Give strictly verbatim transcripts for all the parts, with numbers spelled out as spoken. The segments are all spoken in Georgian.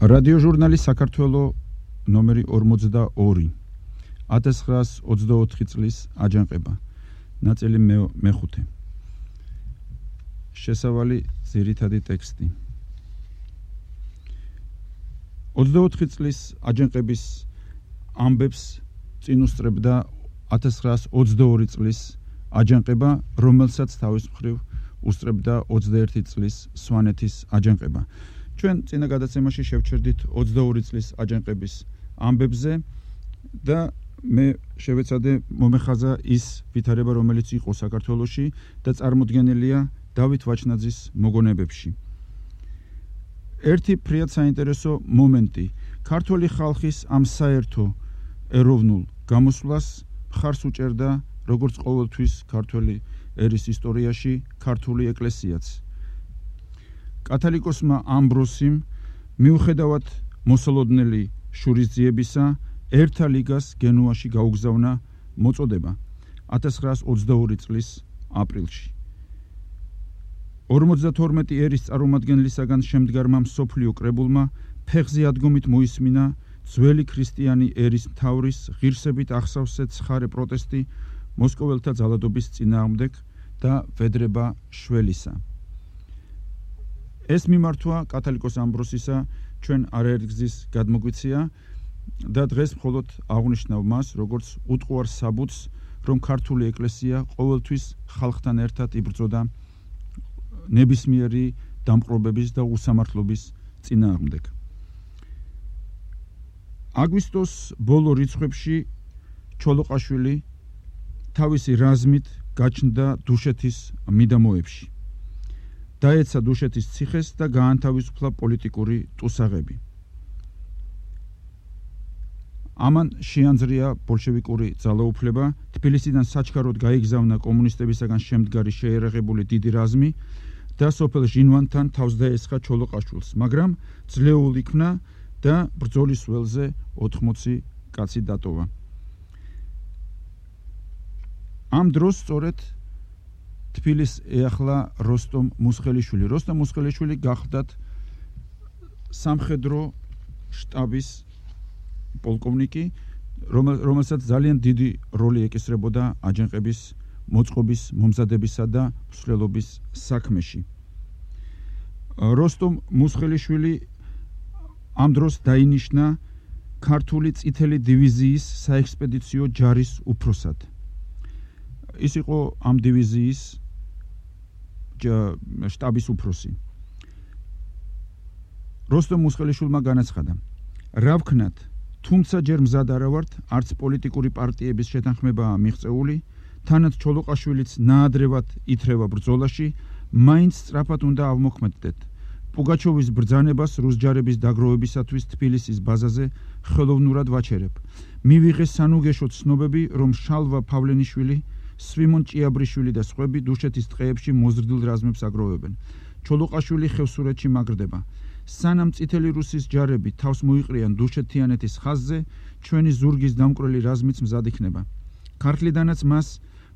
რადიო ჟურნალი საქართველო ნომერი ორმოცდაორი ათას ცხრაას ოცდაოთხი წლის აჯანყება ნაწილი მეხუთე შესავალი ძირითადი ტექსტი ოცდაოთხი წლის აჯანყების ამბებს წინ უსწრებდა ათას ცხრაას ოცდაორი წლის აჯანყება, რომელსაც თავის მხრივ უსწრებდა ოცდაერთი წლის სვანეთის აჯანყება. ჩვენ წინა გადაცემაში შევჩერდით ოცდაორი წლის აჯანყების ამბებზე და მე შევეცადე მომეხაზა ის ვითარება, რომელიც იყო საქართველოში და წარმოდგენილია დავით ვაჩნაძის მოგონებებში. ერთი ფრიად საინტერესო მომენტი ქართული ხალხის ამ საერთო ეროვნულ გამოსვლას მხარს უჭერდა როგორც ყოველთვის ქართული ერის ისტორიაში ქართული ეკლესიაც. კათალიკოსმა ამბროსიმ მიუხედავად მოსალოდნელი შურისძიებისა ერთა ლიგას გენუაში გაუგზავნა მოწოდება ათას ცხრაას ოცდაორი წლის აპრილში. ორმოცდათორმეტი ერის წარმომადგენლისაგან შემდგარმა მსოფლიო კრებულმა ფეხზე ადგომით მოისმინა ძველი ქრისტიანი ერის მთავრის ღირსებით ახსავსე ცხარე პროტესტი მოსკოველთა ძალადობის წინააღმდეგ და ვედრება შველისა. ეს მიმართვა კათალიკოს ამბროსისა ჩვენ არაერთგზის გადმოგვიცია და დღეს მხოლოდ აღვნიშნავ მას, როგორც უტყუარ საბუთს, რომ ქართული ეკლესია ყოველთვის ხალხთან ერთად იბრძოდა ნებისმიერი დამპყრობების და უსამართლობის წინააღმდეგ. აგვისტოს ბოლო რიცხვებში ჩოლოყაშვილი თავისი რაზმით გაჩნდა დუშეთის მიდამოებში. დაეცა დუშეთის ციხეს და გაანთავისუფლა პოლიტიკური ტუსაღები. ამან შეანძრია ბოლშევიკური ძალაუფლება, თბილისიდან საჩქაროდ გაიგზავნა კომუნისტებისაგან შემდგარი შეერაღებული დიდი რაზმი და სოფელ ჟინვანთან თავს დაესხა ჩოლოყაშვილს, მაგრამ ძლეულ იქნა და ბრძოლის ველზე ოთხმოცი კაცი დატოვა. ამ დროს სწორედ თბილისს ეახლა როსტომ მუსხელიშვილი. როსტომ მუსხელიშვილი გახლდათ სამხედრო შტაბის პოლკოვნიკი, რომელსაც ძალიან დიდი როლი ეკისრებოდა აჯანყების მოწყობის, მომზადებისა და მსვლელობის საქმეში. როსტომ მუსხელიშვილი ამ დროს დაინიშნა ქართული წითელი დივიზიის საექსპედიციო ჯარის უფროსად. ის იყო ამ დივიზიის შტაბის უფროსი. როსტომ მუსხელიშვილმა განაცხადა: რა ვქნათ, თუმცა ჯერ მზად არა ვართ, არც პოლიტიკური პარტიების შეთანხმებაა მიღწეული, თანაც ჩოლოყაშვილიც ნაადრევად ითრევა ბრძოლაში, მაინც სწრაფად უნდა ავმოქმედდეთ. პუგაჩოვის ბრძანებას რუსჯარების დაგროვებისათვის თბილისის ბაზაზე ხელოვნურად ვაჩერებ. მივიღე სანუგეშო ცნობები, რომ შალვა ფავლენიშვილი, სვიმონ ჭიაბრიშვილი და სხვები დუშეთის ტყეებში მოზრდილ რაზმებს აგროვებენ. ჩოლოყაშვილი ხევსურეთში მაგრდება. სანამ წითელი რუსის ჯარები თავს მოიყრიან დუშეთიანეთის ხაზზე, ჩვენი ზურგის დამკვრელი რაზმიც მზად იქნება. ქართლიდანაც მას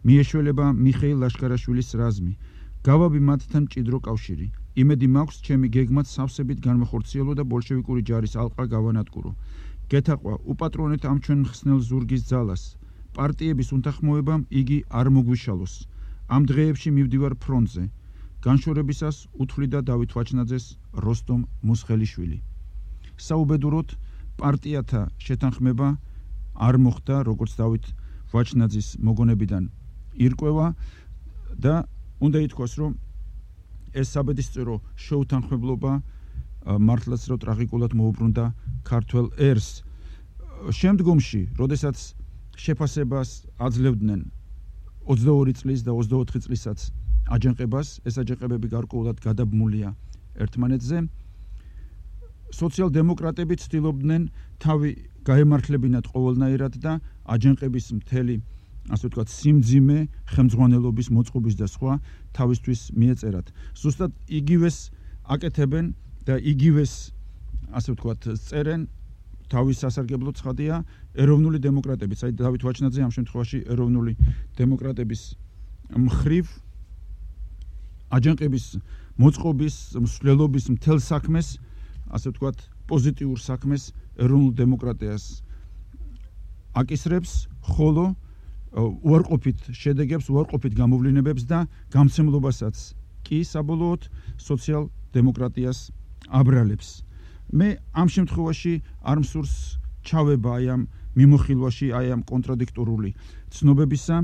მიეშველება მიხეილ ლაშქარაშვილის რაზმი. გავაბი მათთან მჭიდრო კავშირი. იმედი მაქვს, ჩემი გეგმაც სავსებით განმეხორციელო და ბოლშევიკური ჯარის ალყა გავანადგურო. გეთაყვა, უპატრონეთ ამ ჩვენ მხსნელ ზურგის ძალას. პარტიების უთანხმოებამ იგი არ მოგვიშალოს. ამ დღეებში მივდივარ ფრონტზე. განშორებისას უთვლიდა დავით ვაჩნაძეს როსტომ მუსხელიშვილი. საუბედუროდ პარტიათა შეთანხმება არ მოხდა, როგორც დავით ვაჩნაძის მოგონებიდან ირკვევა და უნდა ითქვას, რომ ეს საბედისწერო შეუთანხმებლობა მართლაც რო ტრაგიკულად მოუბრუნდა ქართველ ერს. შემდგომში, როდესაც შეფასებას აძლევდნენ ოცდაორი წლის და ოცდაოთხი წლისაც აჯანყებას, ეს აჯანყებები გარკვეულად გადაბმულია ერთმანეთზე. სოციალ-დემოკრატები ცდილობდნენ თავი გაემართლებინათ ყოველნაირად და აჯანყების მთელი, ასე ვთქვათ, სიმძიმე, ხელმძღვანელობის მოწყობის და სხვა თავისთვის მიეწერათ. ზუსტად იგივეს აკეთებენ და იგივეს, ასე ვთქვათ, წერენ თავის სასარგებლო ცხადია ეროვნული დემოკრატებიც. აი დავით ვაჩნაძე ამ შემთხვევაში ეროვნული დემოკრატების მხრივ აჯანყების მოწყობის, მსვლელობის მთელ საქმეს, ასე ვთქვათ, პოზიტიურ საქმეს ეროვნულ დემოკრატიას აკისრებს, ხოლო უარყოფით შედეგებს, უარყოფით გამოვლენებებს და გამცემლობასაც კი საბოლოოდ სოციალ-დემოკრატიას აბრალებს. მე ამ შემთხვევაში არ მსურს ჩავება აი ამ მიმოხილვაში, აი ამ კონტრადიქტორული ცნობებისა.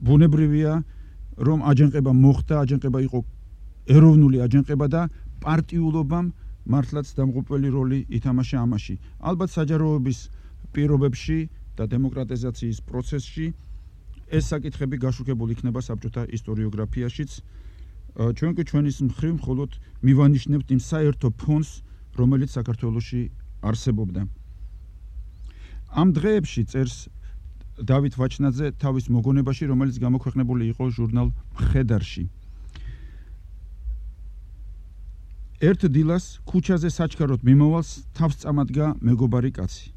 ბუნებრივია, რომ აჯანყება მოხდა, აჯანყება იყო ეროვნული აჯანყება და პარტიულობამ მართლაც დამღუპველი როლი ითამაშა ამაში. ალბათ საჯაროების პირობებში და დემოკრატიზაციის პროცესში ეს საკითხები გაშუქებული იქნება საბჭოთა ისტორიოგრაფიაშიც. ჩვენ კი ჩვენის მხრივ მხოლოდ მივანიშნებთ იმ საერთო ფონს, რომელიც საქართველოში არსებობდა. ამ დღეებში წერს დავით ვაჩნაძე თავის მოგონებაში, რომელიც გამოქვეყნებული იყო ჟურნალ მხედარში. ერთ დილას ქუჩაზე საჩქაროდ მიმავალს თავს წამადგა მეგობარი კაცი.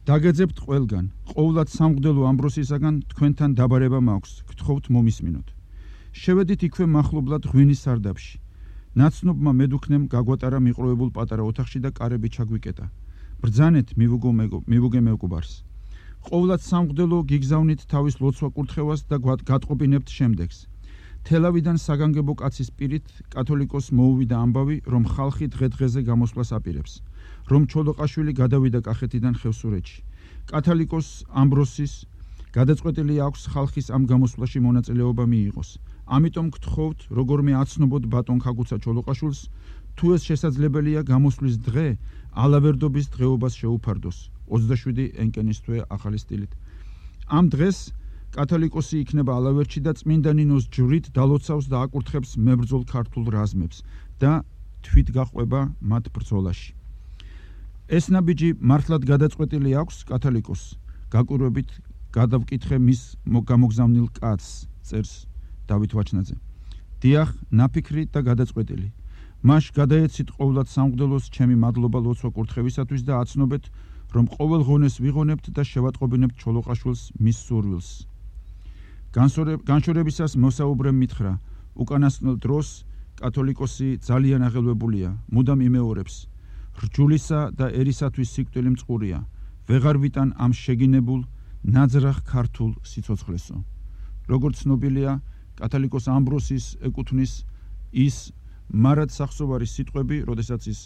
დაგეძებთ ყველგან, ყოვლად სამღვდელო ამბროსისაგან თქვენთან დაბარება მაქვს, გთხოვთ მომისმინოთ. შევედით იქვე მახლობლად ღვინის სარდაფში. ნაცნობმა მედუქნემ გაგვატარა მიყრუებულ პატარა ოთახში და კარები ჩაგვიკეტა. ბრძანეთ მივუგე მეგობარს. ყოვლად სამღვდელო გიგზავნით თავის ლოცვა კურთხევას და გატყობინებთ შემდეგს. თელავიდან საგანგებო კაცის პირით კათოლიკოს მოუვიდა ამბავი, რომ ხალხი დღე-დღეზე გამოსვლას აპირებს, რომ ჩოლოყაშვილი გადავიდა კახეთიდან ხევსურეთში. კათოლიკოს ამბროსის გადაწყვეტილი აქვს ხალხის ამ გამოსვლაში მონაწილეობა მიიღოს. ამიტომ გთხოვთ, როგორმე აცნობოთ ბატონ ქაგუცა ჩოლოყაშვილს, თუ ეს შესაძლებელია გამოსვლის დღე ალავერდობის დღეობას შეუფარდოს. ოცდაშვიდი ენკენის თვე ახალი სტილით. ამ დღეს კათოლიკოსი იქნება ალავერდში და წმინდა ნინოს ჯვრით დალოცავს და აკურთხებს მებრძოლ ქართულ რაზმებს და თვით გაყვება მათ ბრძოლაში. ეს ნაბიჯი მართლად გადაწყვეტილი აქვს კათოლიკოს. გაკვირვებით გადავკითხე მის გამოგზავნილ კაცს, წერს დავით ვაჩნაძე. დიახ, ნაფიქრი და გადაწყვეტილი. მაშ გადაეცით ყოვლად სამღვდელოს ჩემი მადლობა ლოცვა კურთხევისათვის და აცნობეთ, რომ ყოველ ღონეს ვიღონებთ და შევატყობინებთ ჩოლოყაშვილს მის სურვილს. განშორებისას მოსაუბრემ მითხრა, უკანასკნელ დროს კათოლიკოსი ძალიან აღელვებულია, მუდამ იმეორებს. რჯულისა და ერისათვის სიკვდილი მწყურია, ვეღარ ვიტან ამ შეგინებულ ნაძრახ ქართულ სიცოცხლესო. როგორც ცნობილია, კათოლიკოს ამბროსის ეკუთვნის ის მარად სახსოვარი სიტყვები, როდესაც ის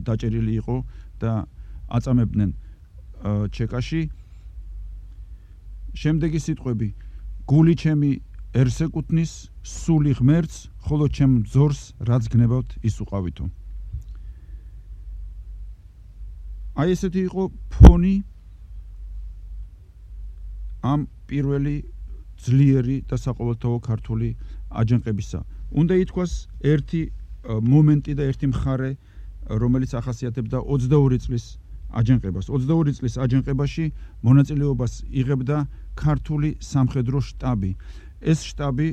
დაჭერილი იყო და აწამებდნენ ჩეკაში. შემდეგი სიტყვები: გული ჩემი ერს ეკუთვნის, სული ღმერთს, ხოლო ჩემ მძორს რაც გნებავთ ის უყავითო. აი ესეთი იყო ფონი ამ პირველი ძლიერი და საყოველთაო ქართული აჯანყებისა. უნდა ითქვას ერთი მომენტი და ერთი მხარე, რომელიც ახასიათებდა ოცდაორი წლის აჯანყებას. ოცდაორი წლის აჯანყებაში მონაწილეობას იღებდა ქართული სამხედრო შტაბი. ეს შტაბი,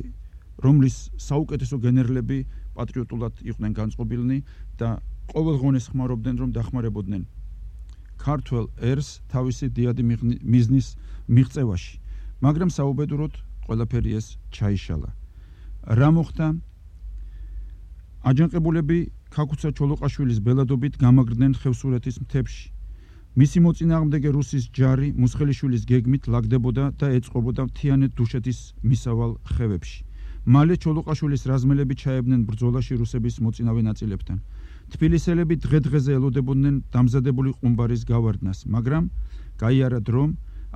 რომლის საუკეთესო გენერლები პატრიოტულად იყვნენ განწყობილნი და ყოველ ღონეს ხმარობდნენ, რომ დახმარებოდნენ ქართველ ერს თავისი დიადი მიზნის მიღწევაში. მაგრამ საუბედუროდ ყველაფერი ეს ჩაიშალა. რა მოხდა? აჯანყებულები ქაგუცა ჩოლოყაშვილის ბელადობით გამაგრდნენ ხევსურეთის მთებში. მისი მოწინააღმდეგე რუსის ჯარი მუსხელიშვილის გეგმით ლაგდებოდა და ეწყობოდა მთიანეთ დუშეთის მისავალ ხევებში. მალე ჩოლოყაშვილის რაზმელები ჩაებდნენ ბრძოლაში რუსების მოწინავე ნაწილებთან. თბილისელები დღე-დღეზე ელოდებოდნენ დამზადებული ყუმბარის გავარდნას, მაგრამ გაიარა დრომ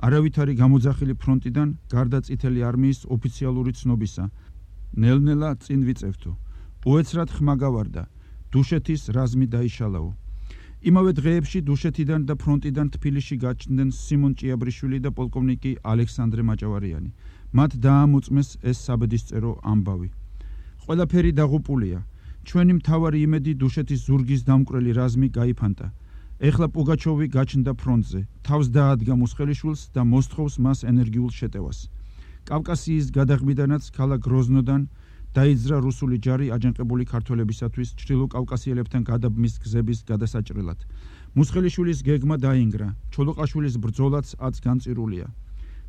არავითარი გამოძახილი ფრონტიდან გარდა წითელი არმიის ოფიციალური ცნობისა. ნელ-ნელა წინ ვიწევთო. უეცრად ხმა გავარდა. დუშეთის რაზმი დაიშალაო. იმავე დღეებში დუშეთიდან და ფრონტიდან თბილისში გაჩნდნენ სიმონ ჭიაბრიშვილი და პოლკოვნიკი ალექსანდრე მაჭავარიანი. მათ დაამოწმეს ეს საბედისწერო ამბავი. ყველაფერი დაღუპულია. ჩვენი მთავარი იმედი დუშეთის ზურგის დამკვრელი რაზმი გაიფანტა. ეხლა პუგაჩოვი გაჩნდა ფრონტზე, თავს დაადგა მუსხელიშვილს და მოსთხოვს მას ენერგიულ შეტევას. კავკასიის გადაღმიდანაც ქალაქ გროზნოდან დაიძრა რუსული ჯარი აჯანყებული ქართველებისათვის ჩრდილოკავკასიელებთან გადაბმის გზების გადასაჭრელად. მუსხელიშვილის გეგმა დაინგრა, ჩოლოყაშვილის ბრძოლაც აც განწირულია.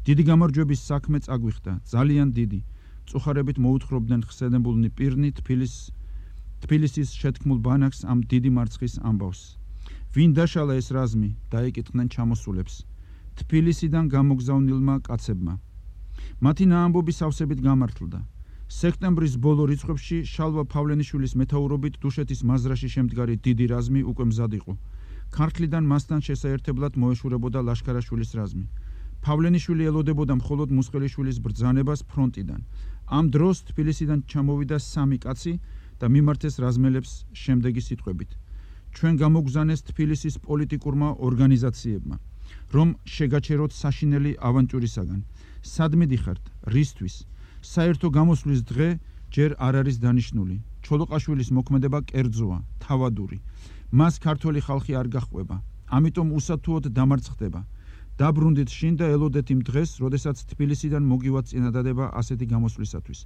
დიდი გამარჯვების საქმე წაგვიხდა, ძალიან დიდი. წუხარებით მოუთხრობდნენ ხსენებულნი პირნი თბილის თბილისის შეთქმულ ბანაკს ამ დიდი მარცხის ამბავს. ვინ დაშალა ეს რაზმი, დაეკითხნენ ჩამოსულებს. თბილისიდან გამოგზავნილმა კაცებმა. მათი ნაამბობი სავსებით გამართლდა. სექტემბრის ბოლო რიცხვებში შალვა ფავლენიშვილის მეთაურობით დუშეთის მაზრაში შემდგარი დიდი რაზმი უკვე მზად იყო. ქართლიდან მასთან შესაერთებლად მოეშურებოდა ლაშქარაშვილის რაზმი. ფავლენიშვილი ელოდებოდა მხოლოდ მუსხელიშვილის ბრძანებას ფრონტიდან. ამ დროს თბილისიდან ჩამოვიდა სამი კაცი და მიმართეს რაზმელებს შემდეგი სიტყვებით. ჩვენ გამოგზავნეს თბილისის პოლიტიკურმა ორგანიზაციებმა, რომ შეგაჩეროთ საშინელი ავანტიურისაგან. სად მიდიხართ? რისთვის? საერთო გამოსვლის დღე ჯერ არ არის დანიშნული. ჩოლოყაშვილის მოქმედება კერძოა, თავადური. მას ქართველი ხალხი არ გაჰყვება. ამიტომ უსათუოდ დამარცხდება. დაბრუნდით შინ და ელოდეთ იმ დღეს, როდესაც თბილისიდან მოგივათ წინადადება ასეთი გამოსვლისათვის,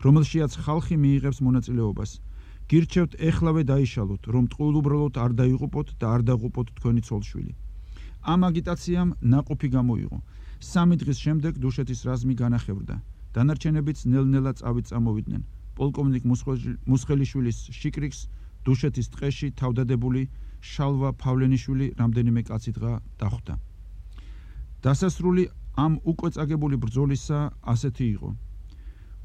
რომელშიაც ხალხი მიიღებს მონაწილეობას. გირჩევთ ეხლავე დაიშალოთ, რომ ტყუილუბრალოდ არ დაიღუპოთ და არ დაღუპოთ თქვენი ცოლშვილი. ამ აგიტაციამ ნაყოფი გამოიღო. სამი დღის შემდეგ დუშეთის რაზმი განახევრდა. დანარჩენებიც ნელ-ნელა წავით წამოვიდნენ. პოლკოვნიკ მუსხელიშვილის შიკრიკს დუშეთის ტყეში თავდადებული შალვა ფავლენიშვილი რამდენიმე კაცი-დღა დახვდა. დასასრული ამ უკვე წაგებული ბრძოლისა ასეთი იყო.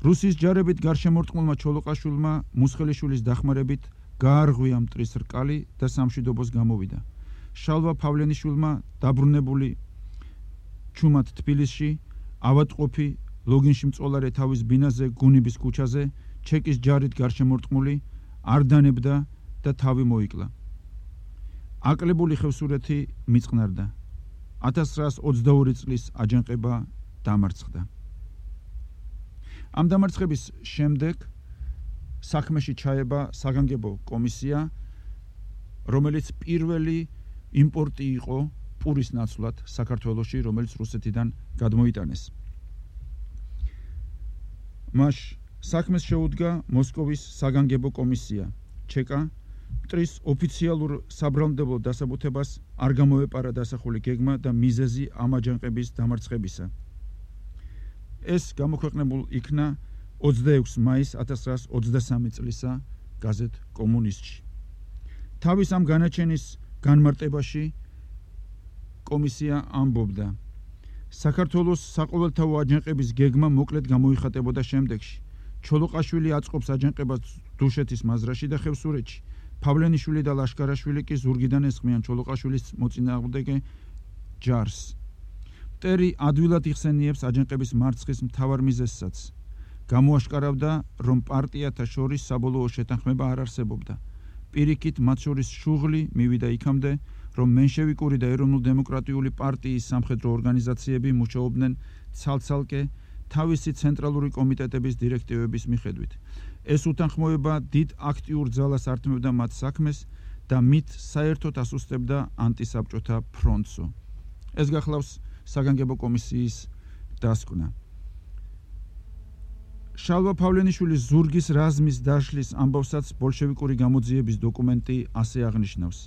რუსის ჯარებით გარშემორტყმულმა ჩოლოყაშვილმა მუსხელიშვილის დახმარებით გაარღვია მტრის რკალი და სამშვიდობოს გამოვიდა. შალვა ფავლენიშვილმა დაბრუნებული ჩუმად თბილისში ავადმყოფი ლოგინში მწოლარე თავის ბინაზე გუნიბის ქუჩაზე ჩეკის ჯარით გარშემორტყმული არ დანებდა და თავი მოიკლა. აკლებული ხევსურეთი მიწყნარდა. ათას ცხრაას ოცდაორი წლის აჯანყება დამარცხდა. ამ დამარცხების შემდეგ საქმეში ჩაება საგანგებო კომისია, რომელიც პირველი იმპორტი იყო პურის ნაცვლად საქართველოში, რომელიც რუსეთიდან გადმოიტანეს. მას საქმეს შეუდგა მოსკოვის საგანგებო კომისია. ჩეკა მტრის ოფიციალურ საბრალმდებო დასაბუთებას არ გამოეპარა დასახული გეგმა და მიზეზი ამ აჯანყების დამარცხებისა. ეს გამოქვეყნებულ იქნა ოცდაექვსი მაისს ათას ცხრაას ოცდასამი წლისა გაზეთ კომუნისტში. თავის ამ განაჩენის განმარტებაში კომისია ამბობდა: საქართველოს საყოველთაო აჯანყების გეგმა მოკლედ გამოიხატებოდა შემდეგში. ჩოლოყაშვილი აწყობს აჯანყებას დუშეთის მაზრაში და ხევსურეთში. ფავლენიშვილი და ლაშქარაშვილი კი ზურგიდან ესხმიან ჩოლოყაშვილის მოწინააღმდეგე ჯარს. მტერი ადვილად იხსენიებს აჯანყების მარცხის მთავარ მიზეზსაც. გამოაშკარავდა, რომ პარტიათა შორის საბოლოო შეთანხმება არ არსებობდა. პირიქით მათ შორის შუღლი მივიდა იქამდე, რომ მენშევიკური და ეროვნულ-დემოკრატიული პარტიის სამხედრო ორგანიზაციები მუშაობდნენ ცალ-ცალკე თავისი ცენტრალური კომიტეტების დირექტივების მიხედვით. ეს უთანხმოება დიდ აქტიურ ძალას ართმევდა მათ საქმეს და მით საერთოდ ასუსტებდა ანტისაბჭოთა ფრონტსო. ეს გახლავს საგანგებო კომისიის დასკვნა. შალვა ფავლენიშვილის ზურგის რაზმის დაშლის ამბავსაც ბოლშევიკური გამოძიების დოკუმენტი ასე აღნიშნავს.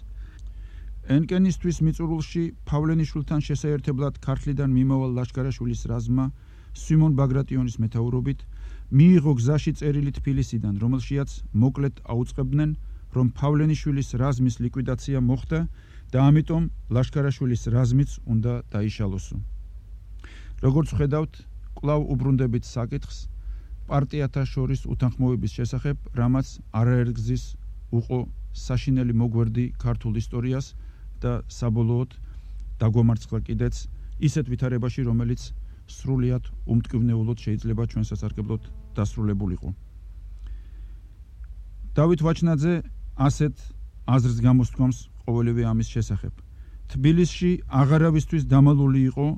ენკენისთვის მიწურულში ფავლენიშვილთან შესაერთებლად ქართლიდან მიმავალ ლაშქარაშვილის რაზმმა სვიმონ ბაგრატიონის მეთაურობით მიიღო გზაში წერილი თბილისიდან, რომელშიაც მოკლედ აუწყებდნენ, რომ ფავლენიშვილის რაზმის ლიკვიდაცია მოხდა და ამიტომ ლაშქარაშვილის რაზმიც უნდა დაიშალოსო. როგორც ხედავთ, კვლავ უბრუნდებით საკითხს პარტიათა შორის უთანხმოების შესახებ, რამაც არაერთგზის უყო საშინელი მოგვერდი ქართულ ისტორიას და საბოლოოდ დაგვამარცხა კიდეც ისეთ ვითარებაში, რომელიც სრულიად უმტკივნეულოდ შეიძლება ჩვენ სასარგებლოდ დასრულებულიყო. დავით ვაჩნაძე ასეთ აზრს გამოსთქვამს ყოველივე ამის შესახებ. თბილისში აღარავისთვის დამალული იყო,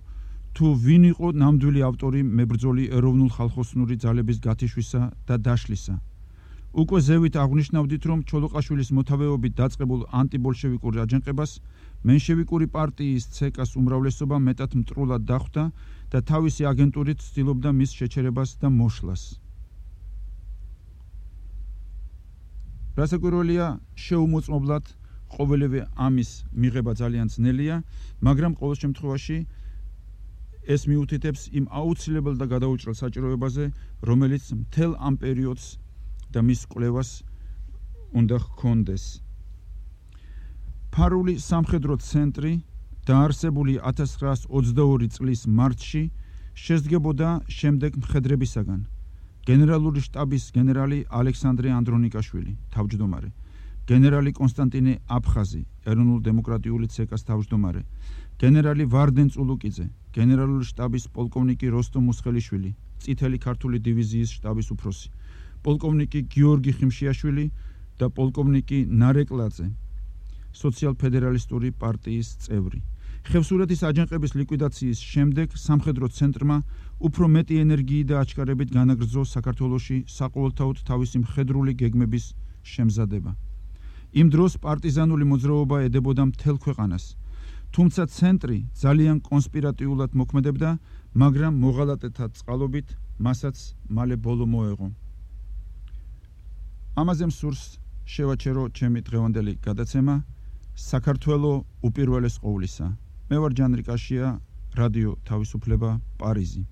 თუ ვინ იყო ნამდვილი ავტორი მებრძოლი ეროვნულ-ხალხოსნური ძალების გათიშვისა და დაშლისა. უკვე ზევით აღნიშნავდით, რომ ჩოლოყაშვილის მოთავეობით დაწყებულ ანტიბოლშევიკურ აჯანყებას მენშევიკური პარტიის ცეკას უმრავლესობა მეტად მტრულად დახვდა და თავისი აგენტურით ცდილობდა მის შეჩერებას და მოშლას. რასაკვირველია, შეუმოწმობლად ყოველივე ამის მიღება ძალიან ძნელია, მაგრამ ყოველ შემთხვევაში ეს მიუთითებს იმ აუცილებელ და გადაუჭრელ საჭიროებაზე, რომელიც მთელ ამ პერიოდს და მის კვლევას უნდა ჰქონდეს. ფარული სამხედრო ცენტრი დაარსებული ათას ცხრაას ოცდაორი წლის მარტში შესდგებოდა შემდეგ მხედრებისაგან: გენერალური შტაბის გენერალი ალექსანდრე ანდრონიკაშვილი, თავმჯდომარე; გენერალი კონსტანტინე აფხაზი, ეროვნულ-დემოკრატიული ცეკას თავმჯდომარე; გენერალი ვარდენ წულუკიძე, გენერალური შტაბის პოლკოვნიკი როსტომ მუსხელიშვილი, წითელი ქართული დივიზიის შტაბის უფროსი; პოლკოვნიკი გიორგი ხიმშიაშვილი და პოლკოვნიკი ნარეკლაძე, სოციალ-ფედერალისტური პარტიის წევრი. ხევსურეთის აჯანყების ლიკვიდაციის შემდეგ სამხედრო ცენტრმა უფრო მეტი ენერგიით და აჩქარებით განაგრძო საქართველოში საყოველთაოდ თავისი მხედრული გეგმების შემზადება. იმ დროს პარტიზანული მოძრაობა ედებოდა მთელ ქვეყანას, თუმცა ცენტრი ძალიან კონსპირატიულად მოქმედებდა, მაგრამ მოღალატეთა წყალობით მასაც მალე ბოლო მოეღო. ამაზე მსურს შევაჩერო ჩემი დღევანდელი გადაცემა საქართველო უპირველეს ყოვლისა. მე ვარ ჯანრი კაშია, რადიო თავისუფლება, პარიზი.